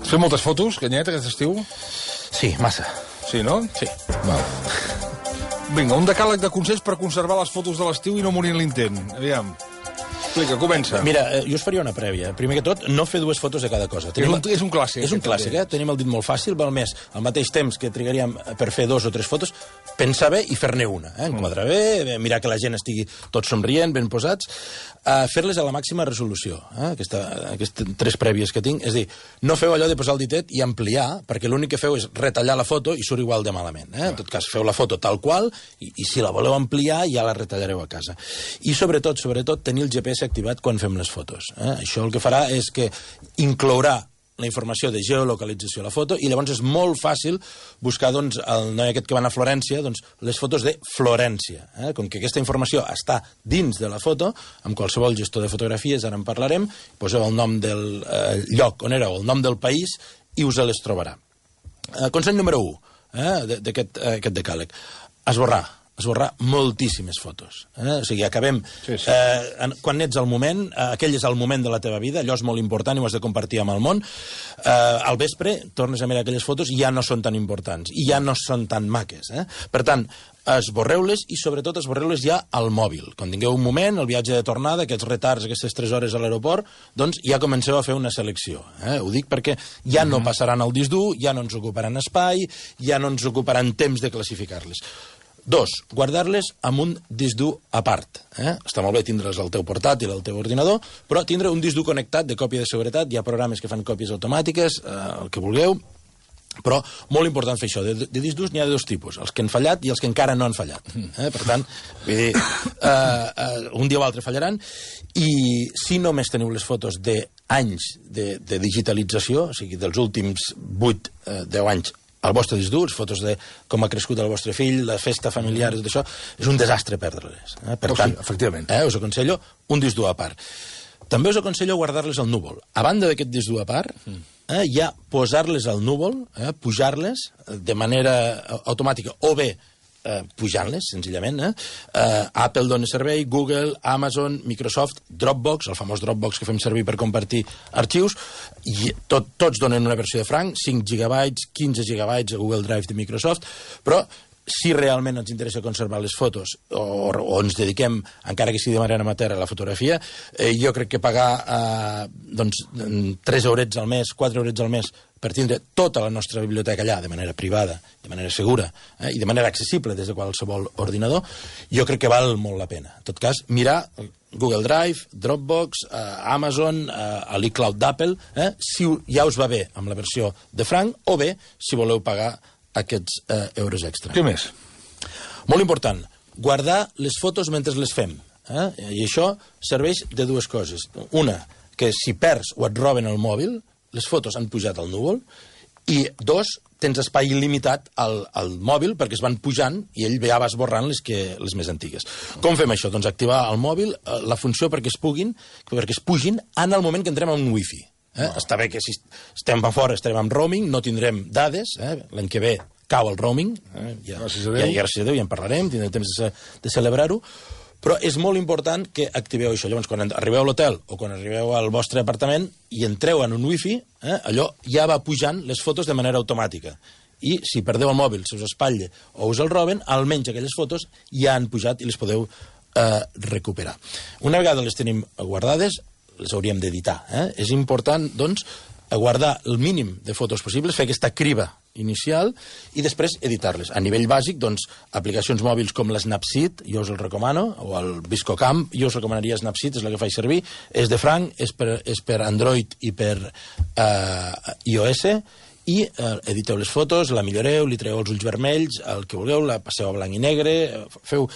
Has fet moltes fotos, Canyet, aquest estiu? Sí, massa. Sí, no? Sí. Val. Vinga, un decàleg de consells per conservar les fotos de l'estiu i no morir en l'intent. Aviam. Explica, comença. Mira, jo us faria una prèvia. Primer que tot, no fer dues fotos de cada cosa. És un clàssic. És un clàssic, eh? Tenim el dit molt fàcil, val més al mateix temps que trigaríem per fer 2 o 3 fotos, pensar bé i fer-ne una. Enquadrar bé, mirar que la gent estigui tots somrient, ben posats, fer-les a la màxima resolució. Aquestes 3 prèvies que tinc. És a dir, no feu allò de posar el ditet i ampliar, perquè l'únic que feu és retallar la foto i surt igual de malament. En tot cas, feu la foto tal qual i si la voleu ampliar ja la retallareu a casa. I sobretot, tenir el GPS activat quan fem les fotos. Això el que farà és que inclourà la informació de geolocalització a la foto i llavors és molt fàcil buscar doncs, el noi aquest que va a Florència, doncs, les fotos de Florència. Com que aquesta informació està dins de la foto, amb qualsevol gestor de fotografies, ara en parlarem, poseu el nom del lloc on éreu, el nom del país i us les trobarà. Consell número 1 d'aquest decàleg. Esborrar moltíssimes fotos. O sigui, acabem... Sí. Quan ets al moment, aquell és el moment de la teva vida, allò és molt important i ho has de compartir amb el món. Al vespre, tornes a mirar aquelles fotos i ja no són tan importants, i ja no són tan maques. Per tant, esborreu-les i sobretot esborreu-les ja al mòbil. Quan tingueu un moment, el viatge de tornada, aquests retards, aquestes 3 hores a l'aeroport, doncs ja comenceu a fer una selecció. Ho dic perquè ja no passaran al disc dur, ja no ens ocuparan espai, ja no ens ocuparan temps de classificar-les. 2, guardar-les amb un disc dur a part. Està molt bé tindre'ls al teu portàtil, al teu ordinador, però tindre un disc dur connectat de còpia de seguretat, hi ha programes que fan còpies automàtiques, el que vulgueu, però molt important fer això. De disc durs n'hi ha de 2 tipus, els que han fallat i els que encara no han fallat. Per tant, vull dir, un dia o altre fallaran, i si només teniu les fotos d'anys de digitalització, o sigui, dels últims 8-10 anys, al vostre disc dur, fotos de com ha crescut el vostre fill, la festa familiar, tot això, és un desastre perdre-les. Per tant, efectivament. Us aconsello un disc dur a part. També us aconsello guardar-les al núvol. A banda d'aquest disc dur a part, ja posar-les al núvol, pujar-les de manera automàtica, o bé pujant-les, senzillament. Apple dona servei, Google, Amazon, Microsoft, Dropbox, el famós Dropbox que fem servir per compartir arxius, i tots donen una versió de franc, 5 gigabytes, 15 gigabytes a Google Drive de Microsoft, però si realment ens interessa conservar les fotos o ens dediquem, encara que sigui de manera amateur, a la fotografia, jo crec que pagar 3 eurets al mes, 4 eurets al mes per tindre tota la nostra biblioteca allà, de manera privada, de manera segura, i de manera accessible des de qualsevol ordinador, jo crec que val molt la pena. En tot cas, mirar Google Drive, Dropbox, Amazon, l'iCloud d'Apple, si ja us va bé amb la versió de franc, o bé si voleu pagar aquests euros extra. Què més? Molt important, guardar les fotos mentre les fem. I això serveix de 2 coses. Una, que si perds o et roben el mòbil, les fotos han pujat al núvol, i 2, tens espai il·limitat al mòbil perquè es van pujant i ell ja va esborrant les més antigues. Com fem això? Doncs activar al mòbil la funció perquè es pugin en el moment que entrem en un wifi. Està bé que si estem a fora, estarem amb roaming, no tindrem dades, l'any que ve cau el roaming, gràcies a Déu, ja en parlarem, tindrem temps de celebrar-ho, però és molt important que activeu això. Llavors, quan arribeu a l'hotel o quan arribeu al vostre apartament i entreu en un wifi, allò ja va pujant les fotos de manera automàtica. I si perdeu el mòbil, se us espatlla o us el roben, almenys aquelles fotos ja han pujat i les podeu recuperar. Una vegada les tenim guardades, les hauríem d'editar. És important, doncs, guardar el mínim de fotos possibles, fer aquesta criba inicial i després editar-les. A nivell bàsic, doncs, aplicacions mòbils com l'Snapseed, jo us el recomano, o el ViscoCam, jo us recomanaria Snapseed, és la que faig servir, és de franc, és per Android i per iOS, i editeu les fotos, la milloreu, li treu els ulls vermells, el que vulgueu, la passeu a blanc i negre, feu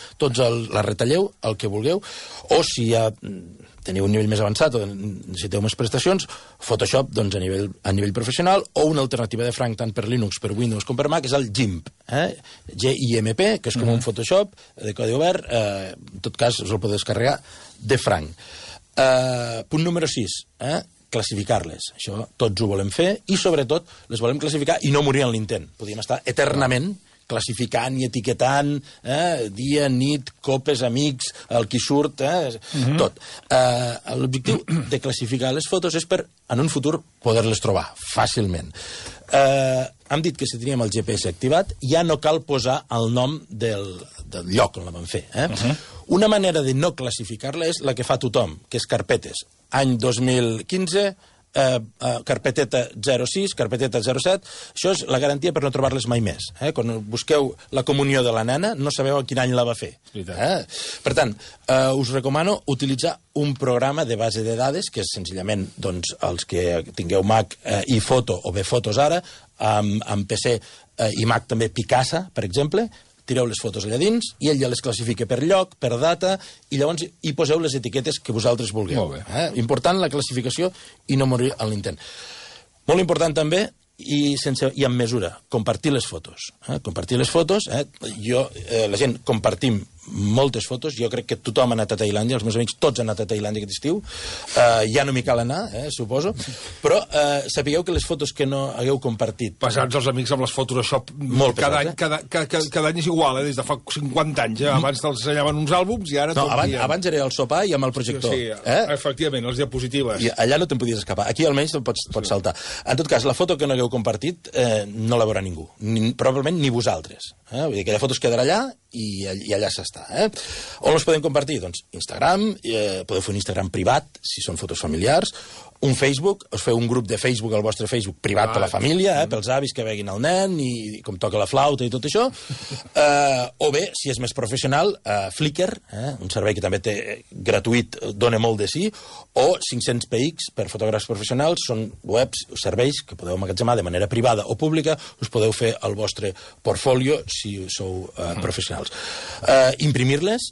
la retalleu, el que vulgueu, o si ja teniu un nivell més avançat o necessiteu més prestacions, Photoshop doncs, a nivell professional, o una alternativa de franc tant per Linux, per Windows com per Mac, és el GIMP, GIMP, que és com un Photoshop de codi obert, en tot cas us el podeu descarregar de franc. Punt número 6, classificar-les. Això tots ho volem fer i, sobretot, les volem classificar i no morir en l'intent. Podríem estar eternament classificant i etiquetant, dia, nit, copes, amics, el qui surt, tot. L'objectiu de classificar les fotos és per, en un futur, poder-les trobar fàcilment. Hem dit que si teníem el GPS activat ja no cal posar el nom del lloc on la vam fer. Una manera de no classificar-la és la que fa tothom, que és carpetes. Any 2015... carpeteta 06, carpeteta 07, això és la garantia per no trobar-les mai més. Quan busqueu la comunió de la nena, no sabeu a quin any la va fer. Per tant, us recomano utilitzar un programa de base de dades, que és senzillament els que tingueu Mac i Foto, o bé Fotos ara, amb PC i Mac també Picasa, per exemple, tireu les fotos allà dins i ell ja les classifica per lloc, per data, i llavors hi poseu les etiquetes que vosaltres vulgueu. Important la classificació i no morir en l'intent. Molt important també, i amb mesura, compartir les fotos. Compartir les fotos, la gent compartim moltes fotos, jo crec que tothom ha anat a Tailàndia, els meus amics tots han anat a Tailàndia aquest estiu, ja no m'hi cal anar, suposo, però sapigueu que les fotos que no hagueu compartit... Passats els amics amb les fotos, això cada any és igual, des de fa 50 anys, abans te'ls ensenyaven uns àlbums i ara... No, abans era el sopar i amb el projector. Sí, efectivament, les diapositives. I allà no te'n podies escapar, aquí almenys te'n pots saltar. En tot cas, la foto que no hagueu compartit no la veurà ningú, probablement ni vosaltres. Vull dir, aquella foto es quedarà allà i allà s'està. On les podem compartir? Doncs Instagram, podeu fer un Instagram privat, si són fotos familiars, un Facebook, us feu un grup de Facebook, el vostre Facebook privat per la família, pels avis que veguin el nen i com toca la flauta i tot això, o bé, si és més professional, Flickr, un servei que també té gratuït, dona molt de sí, o 500px per fotògrafs professionals, són webs, serveis que podeu emmagatzemar de manera privada o pública, us podeu fer el vostre portfolio si sou professionals. Imprimir-les,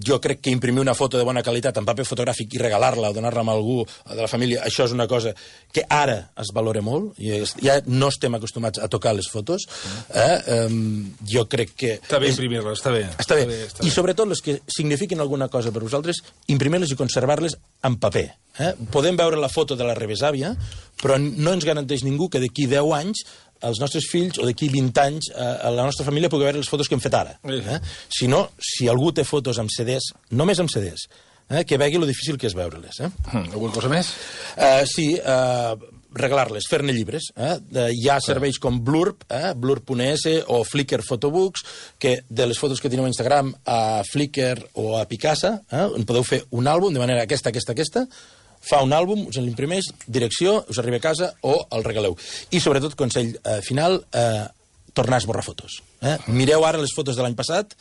jo crec que imprimir una foto de bona qualitat en paper fotogràfic i regalar-la o donar-la a algú de la família, això és una cosa que ara es valora molt, ja no estem acostumats a tocar les fotos, jo crec que... Està bé imprimir-les, està bé. Està bé, i sobretot les que signifiquin alguna cosa per vosaltres, imprimir-les i conservar-les en paper. Podem veure la foto de la rebesàvia, però no ens garanteix ningú que d'aquí 10 anys els nostres fills o d'aquí 20 anys la nostra família pugui veure les fotos que hem fet ara. Si no, si algú té fotos amb CDs, només amb CDs, que vegi lo difícil que és veure-les. Alguna cosa més? Sí, regalar-les, fer-ne llibres. Hi ha serveis com Blurb, blurb.es o Flickr Photobooks, que de les fotos que teniu a Instagram, a Flickr o a Picasa, en podeu fer un àlbum de manera aquesta, fa un àlbum, us l'imprimeix, direcció, us arriba a casa o el regaleu. I sobretot, consell final, tornar a esborrar fotos. Mireu ara les fotos de l'any passat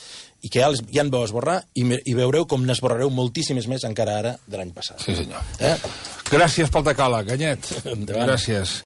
i que ja en vau esborrar i veureu com n'esborrareu moltíssimes més encara ara de l'any passat. Sí, senyor. Gràcies pel decàleg, Anyet. Gràcies.